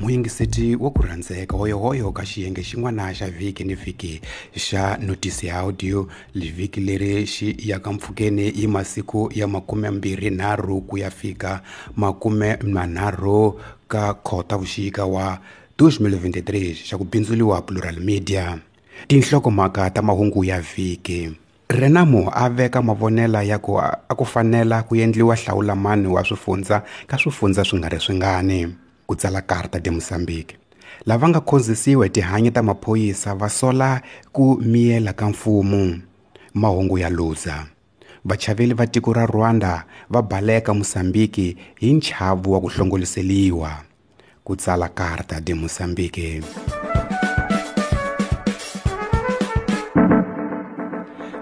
Muyingiseti wa ku rhandzeka hoyohoyo ka xiyenge xin'wana xa vhiki ni vhiki xa notisi ya audio vhiki leri xi yaka mpfhukeni hi masiku ya 23 ku ya fika 30 ka Khotavuxika wa 2023 xa ku bindzuriwa Plural Media. Tinhlokomhaka ta mahungu ya vhiki. Renamo a veka mavonela ya ku a ku fanela ku endliwa hlawulamani wa swifundza ka swifundza swi nga ri swingani. Ku tsala Carta de Mozambique. Lava nga khonzisiwa hi tihanyi ta maphorisa va sola ku miyela ka mfumo. Mahungu ya Luza. Vachaveli va tiko ra Rwanda va baleka Mozambique hi nchavu wa ku hlongoliseliwa. Ku tsala Carta de Mozambique.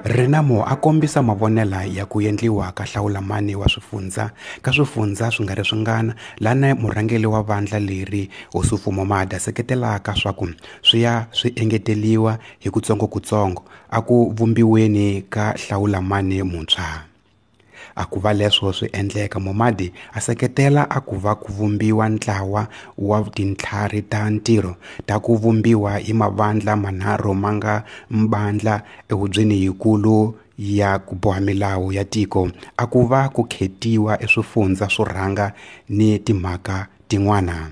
Renamo a kombisa mavonela ya ku endliwa ka hlawulamani wa swifundza ka swifundza swi nga ri swingana lana murhangeri wa vandla leri Ossufo Momade seketelaka swa ku swi ya swi engeteliwa hi kutsongokutsongo a ku vumbiweni ka hlawulamani muntshwa. A ku va leswo swi endleka Momade a seketela a ku va ku vumbiwa ntlawa wa tintlhari ta ntirho ta ku vumbiwa hi mavandla manharhu ma nga mbandla ehubyeni yikulu ya ku boha milawu ya tiko a ku va ku khetiwa eswifundza swo rhanga ni timhaka tin'wana.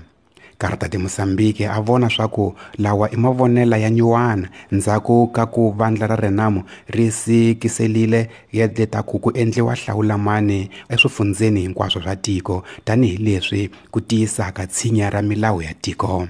Carta de Mozambique a vona swa ku lawa i mavonela ya nyuwana ndzhaku ka ku vandla ra Renamo ri sikiselile letaku ku endliwa hlawulamani eswifundzeni hinkwaswo swa tiko tanihileswi ku tiyisaka tshinya ra milawu ya tiko.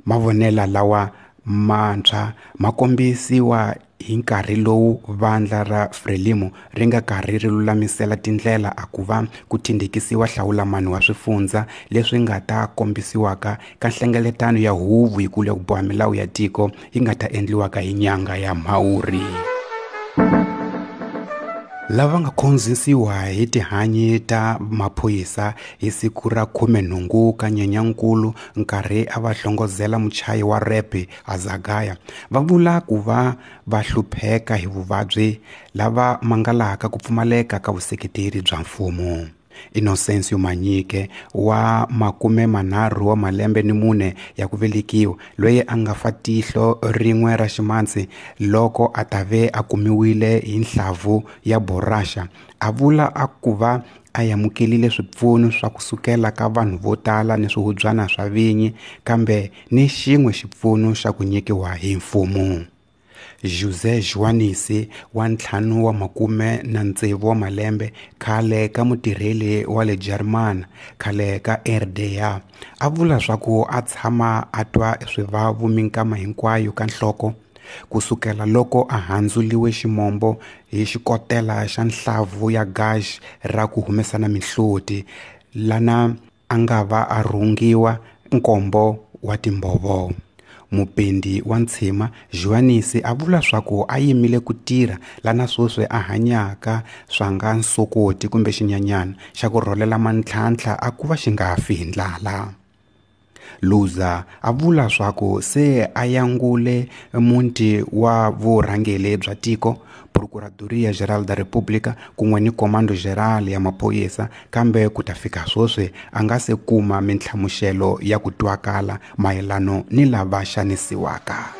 Mavonela lawa mantshwa ma kombisiwa hi nkarhi lowu vandla ra Frelimo ri nga karhi ri lulamisela tindlela a ku va ku thindhekisiwa hlawulamani wa swifundza leswi nga ta kombisiwaka ka nhlengeletano ya huvo yikulu ya ku boha milawu ya tiko yi nga ta endliwaka hi nyanga ya Mhawuri. Lava nga khonzisiwa hi tihanyi ta maphorisa hi siku ra 18 ka Nyenyankulu nkarhi a va hlongozela muchayi wa rap Azagaya va vula ku va va hlupheka hi vuvabyi lava mangalaka ku pfumaleka ka vuseketeri bya mfumo. Innocencio Manyike wa 34 wa malembe ni 4 ya ku velekiwa loyi a nga fa tihlo rin'we ra ximatsi loko a ta ve a kumiwile hi nhlavu ya borasha a vula a ku va a amukelile swipfuno swa kusukela ka vanhu vo tala ni swihubyana swa vinyi kambe ni xin'we xipfuno xa ku nyikiwa hi mfumo. José Joanisi wa 56 wa malembe khale ka mutirheli wa le Jarimani khale ka RDA a vula swa ku a tshama a twa swivavu minkama hinkwayo ka nhloko kusukela loko a handzuriwe ximombo hi xikotela xa nhlavu ya gaji ra ku humesana mihloti lana a nga va a rhungiwa nkombo wa timbhovo. Mupendi wa ntshima Joanisi a vula swa ku a yimile ku tirha lana sweswi a hanyaka swa nga nsokoti kumbe xinyanyana xa ku rholela mantlhantlha a ku va xi nga fi hi ndlala. Luza a vula swa ku se a yangule muti wa vurhangeri bya tiko Procuradoria Geral da República kun'we ni Comando Geral ya maphorisa kambe ku ta fika sweswi a nga se kuma minhlamuselo ya ku twakala mayelano ni lava xanisiwaka.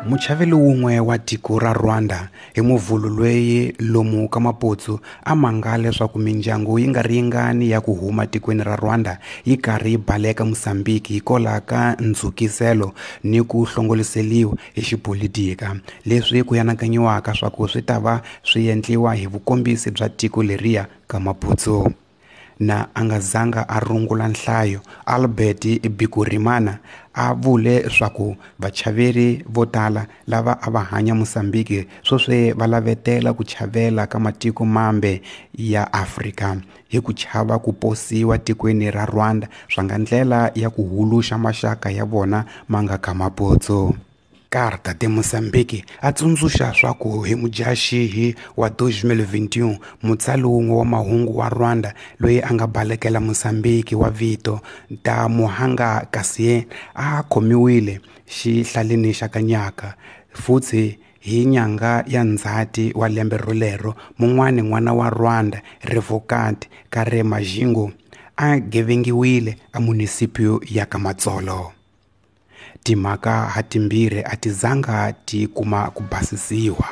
Muchaveli wun'we wa tiko ra Rwanda hi muvhulu loyi lomu ka Maputsu a mangala leswaku mindyangu yi nga ri yingani ya ku huma tikweni ra Rwanda yi karhi yi baleka Mozambique hikwalaho ka ndzhukiselo ni ku hlongoliseliwa hi xipolitika leswi ku yanakanyiwaka swa ku swi ta va swi endliwa hi vukombisi bya tiko leriya ka Maputsu. Na a nga zanga a rungula nhlayo Albert Bikurimana a vule swa ku vachaveri vo tala lava a va hanya Mozambique sweswi va lavetela ku chavela ka matiko mambe ya Afrika hi ku chava ku posiwa tikweni ra Rwanda swa nga ndlela ya ku huluxa maxaka ya vona ma nga ka Maputsu. Carta de Mozambique a tsundzuxa swa ku hi Mudyaxihi wa 2021 mutsali wun'we wa mahungu wa Rwanda loyi a nga balekela Mozambique wa vito Ntamuhanga Cassien a khomiwile xihlaleni xa Kanyaka futhi hi nyanga ya Ndzhati wa lembe rolero mun'wani n'wana wa Rwanda Revocat Karemajingo a gevengiwile a munisipio ya ka Matsolo. Timhaka hatimbirhi a ti zanga ti kuma ku basisiwa.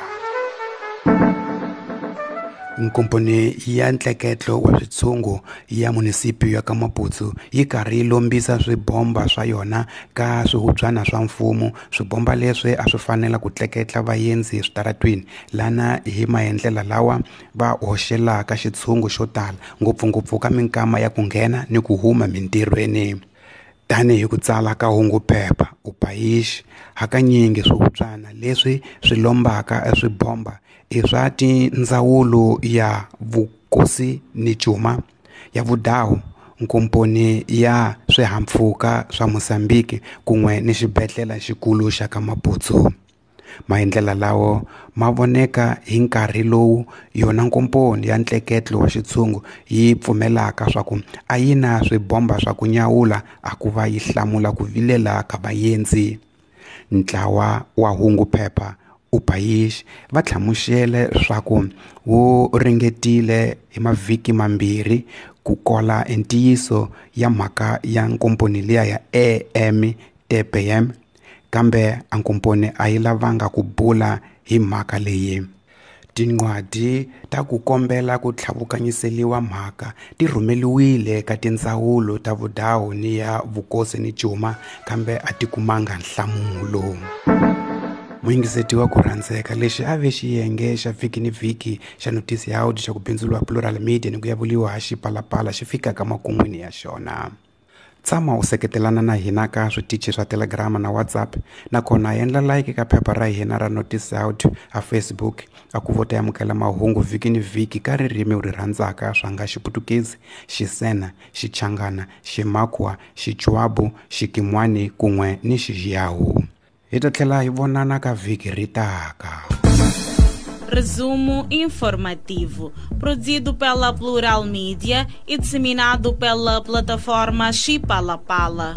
Nkomponi ya ntleketlo wa switshungu ya munisipio ya ka Maputsu yi karhi yi lombisa swibomba swa yona ka swihubyana swa mfumo. Swibomba leswi a swi fanela ku tleketla vaendzi eswitaratwini lana hi maendlela lawa va hoxelaka xitshungu xo tala, ngopfungopfu ka minkama ya ku nghena ni ku huma mintirhweni. Tanihi ku tsala ka hunguphepha Upayishi, hakanyingi swihubyana leswi swi lombaka swibomba i swa tindzawulo ya vukosi ni cuma, ya vudawu, nkomponi ya swihahampfhuka swa Mozambique kun'we ni xibedhlele xikulu xa ka Maputsu. Maendlela lawo ma voneka hi nkarhi lowu yona nkomponi ya ntleketlo wa xitshungu yi pfumelaka swa ku a yi na swibomba swa ku nyawula a ku va yi hlamula ku vilela ka vaendzi. Ntlawa wa hunguphepha Upayishi va hlamusele swa ku wu ringetile hi mavhiki mambirhi ku kola ntiyiso ya mhaka ya nkomponi liya ya EMTPM, kambe a nkomponi a yi lavanga ku bula hi mhaka leyi. Tinqwadi ta ku kombela ku tlhavukanyiseliwa mhaka ti rhumeliwile ka tindzawulo ta vudawu ni ya vukosi ni cuma, kambe a ti kumanga nhlamulo. Muyingiseti wa ku rhandzeka, lexi a ve xiyenge xa vhiki ni vhiki xa notisi ya audio xa ku bindzuriwa Plural Media ni ku yavuliwa ha Xipalapala xi fikaka makun'wini ya xona. Tshama u seketelana na hina ka switichi swa Telegram na WhatsApp, nakona endla like ka phepha ra hina ra Notice Audio a Facebook a ku vota amukela mahungu vhiki ni vhiki ka ririmi u ri rhandzaka swa nga Xiputukezi, Xisena, Xichangana, Ximakwa, Xichwabu, Xikimwani kun'we ni Xiyawu. Hi ta tlhela hi vonana ka vhiki ri taka. Resumo informativo, produzido pela Plural Mídia e disseminado pela plataforma Xipalapala.